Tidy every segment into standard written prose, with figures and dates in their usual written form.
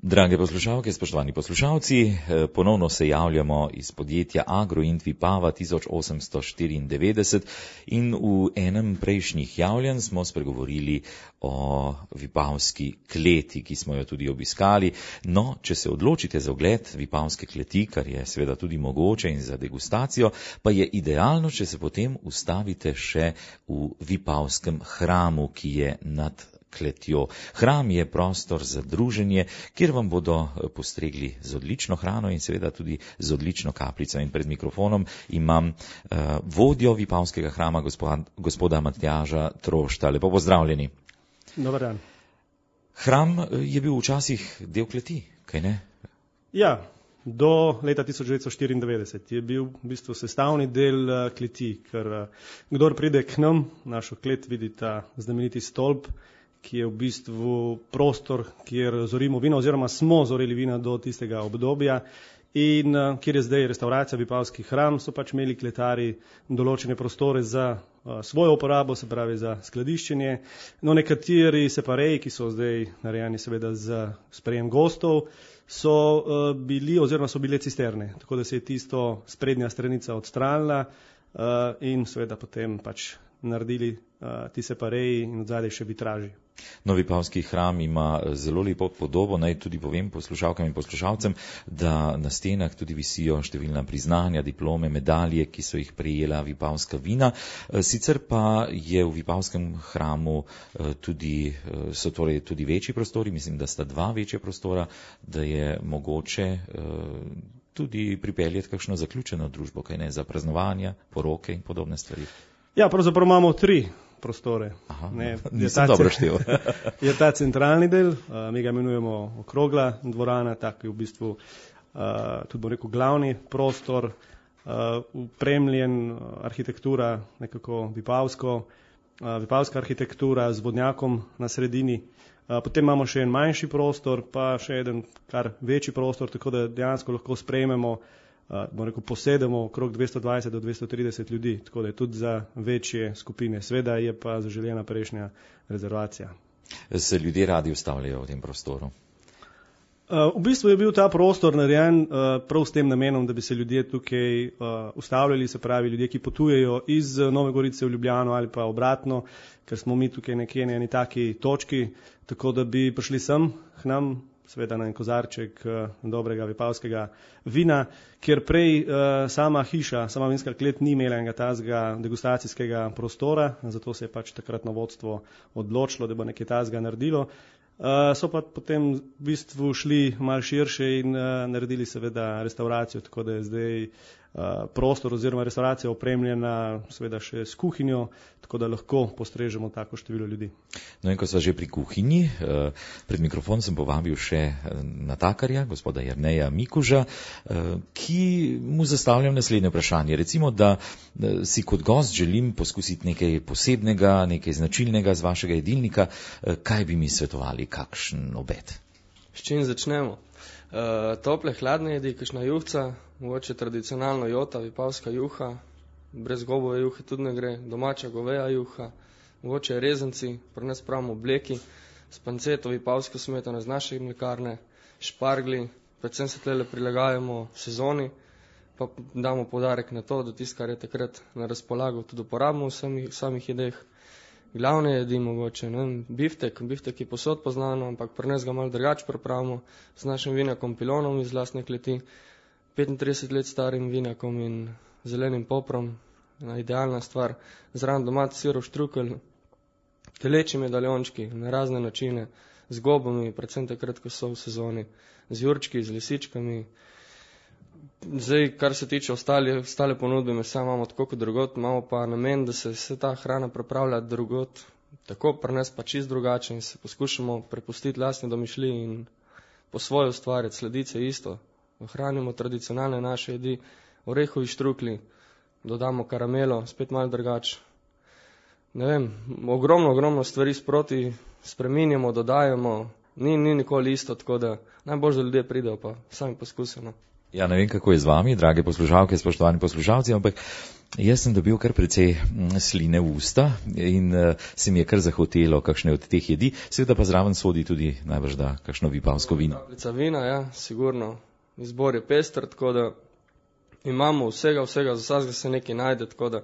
Drage poslušalke, spoštovani poslušalci, ponovno se javljamo iz podjetja Agroint Vipava 1894 in v enem prejšnjih javljanj smo spregovorili o vipavski kleti, ki smo jo tudi obiskali. No, če se odločite za ogled vipavske kleti, kar je seveda tudi mogoče in za degustacijo, pa je idealno, če se potem ustavite še v vipavskem hramu, ki je nad kletjo. Hram je prostor za druženje, kjer vam bodo postregli z odlično hrano in seveda tudi z odlično kapljico. In pred mikrofonom imam vodjo vipavskega hrama, gospoda Matjaža Trošta. Lepo pozdravljeni. Dobar dan. Hram je bil včasih del kleti, kaj ne? Ja, do leta 1994 je bil v bistvu sestavni del kleti, ker kdor pride k nam, našo klet, vidi ta znameniti stolp, ki je v bistvu prostor, kjer zorimo vino oziroma smo zorili vina do tistega obdobja in kjer je zdaj restauracija Vipavski hram, so pač imeli kletari določene prostore za svojo uporabo, se pravi za skladiščenje. No, nekateri separeji, ki so zdaj narejeni seveda za sprejem gostov, so bile cisterne, tako da se je tisto sprednja stranica odstranila in seveda potem pač naredili ti separeji in odzadej še vitraži. No, Vipavski hram ima zelo lepo podobo. Naj tudi povem poslušalkam in poslušalcem, da na stenah tudi visijo številna priznanja, diplome, medalje, ki so jih prejela vipavska vina. Sicer pa je v Vipavskem hramu so torej tudi večji prostori, mislim, da sta dva večja prostora, da je mogoče tudi pripeljati kakšno zaključeno družbo, kaj ne, za praznovanja, poroke in podobne stvari. Ja, pravzaprav imamo 3 prostore. Aha, nisem dobro štel. Je ta centralni del, mi ga imenujemo okrogla dvorana, tak je v bistvu tudi bom rekel glavni prostor, upremljen arhitektura, nekako vipavska arhitektura z vodnjakom na sredini. Potem imamo še en manjši prostor, pa še en kar večji prostor, tako da dejansko lahko sprejmemo, bom rekel, posedemo okrog 220 do 230 ljudi, tako da je tudi za večje skupine. Sveda je pa zaželjena prejšnja rezervacija. Se ljudje radi ustavljajo v tem prostoru? V bistvu je bil ta prostor narejen prav s tem namenom, da bi se ljudje tukaj ustavljali, se pravi ljudje, ki potujejo iz Nove Gorice v Ljubljano ali pa obratno, ker smo mi tukaj nekje na eni taki točki, tako da bi prišli sem k nam, seveda na en kozarček dobrega vipavskega vina, kjer prej sama vinska klet ni imela enega tazga degustacijskega prostora, zato se je pač takratno vodstvo odločilo, da bo nekaj tazga naredilo. So pa potem v bistvu šli malo širše in naredili seveda restauracijo, tako da je zdaj prostor oziroma restauracija opremljena seveda še s kuhinjo, tako da lahko postrežemo tako število ljudi. No in ko sva že pri kuhinji, pred mikrofon sem povabil še natakarja, gospoda Jerneja Mikuža, ki mu zastavljam naslednje vprašanje. Recimo, da si kot gost želim poskusiti nekaj posebnega, nekaj značilnega z vašega jedilnika, kaj bi mi svetovali, kakšen obed? S čim začnemo? Tople, hladne jedi, kakšna juhca, mogoče tradicionalno jota, vipavska juha, brez gobove juhe tudi ne gre, domača goveja juha, mogoče rezanci, pri nas pravimo bleki, s panceto, vipavsko smetano z naše mlekarne, špargli, predvsem se tlele prilagajamo sezoni, pa damo poudarek na to, da tisto, kar je takrat na razpolago, tudi uporabimo v samih jedeh. Glavne jedi mogoče, biftek je posod poznano, ampak pri nas ga malo drugače pripravimo z našim vinakom pilonom iz lastne kleti, 35 let starim vinakom in zelenim poprom, idealna stvar, zraven domač sirov štrukelj, teleči medaljončki na razne načine, z gobami, predvsem takrat, ko so v sezoni, z jurčki, z lisičkami. Zdaj, kar se tiče ostale ponudbe mesa, imamo tako kot drugot, imamo pa namen, da se vse ta hrana pripravlja drugot, tako pri nas pa čist drugače in se poskušamo prepustiti lastne domišljiji in po svoje ustvarjati, sledice isto. Ohranimo tradicionalne naše jedi, orehovi štrukli, dodamo karamelo, spet malo drugače. Ne vem, ogromno stvari sproti spreminjamo, dodajamo, ni nikoli isto, tako da najbolj za ljudje pridejo pa sami poskusimo. Ja, ne vem, kako je z vami, drage poslušalke, spoštovani poslušalci, ampak jaz sem dobil kar precej sline v usta in se mi je kar zahotelo kakšne od teh jedi, seveda pa zraven sodi tudi najbrž da kakšno vipavsko vino. Kapljica vina, ja, sigurno. Izbor je pester, tako da imamo vsega, za vsakega se nekaj najde, tako da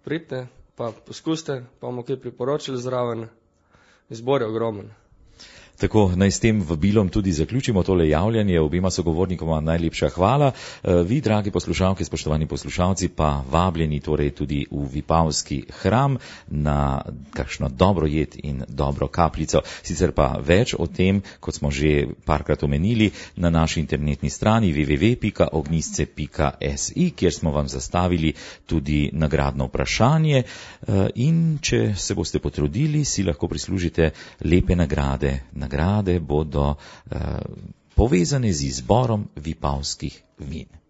pridite, pa poskuste, pa bomo kaj priporočili zraven. Izbor je ogromen. Tako, naj s tem vabilom tudi zaključimo tole javljanje. Obema sogovornikoma najlepša hvala. Vi, dragi poslušalke, spoštovani poslušalci, pa vabljeni torej tudi v Vipavski hram na kakšno dobro jed in dobro kapljico. Sicer pa več o tem, kot smo že parkrat omenili, na naši internetni strani www.ognjisce.si, kjer smo vam zastavili tudi nagradno vprašanje in če se boste potrudili, si lahko prislužite lepe nagrade. Nagrade bodo povezane z izborom vipavskih vin.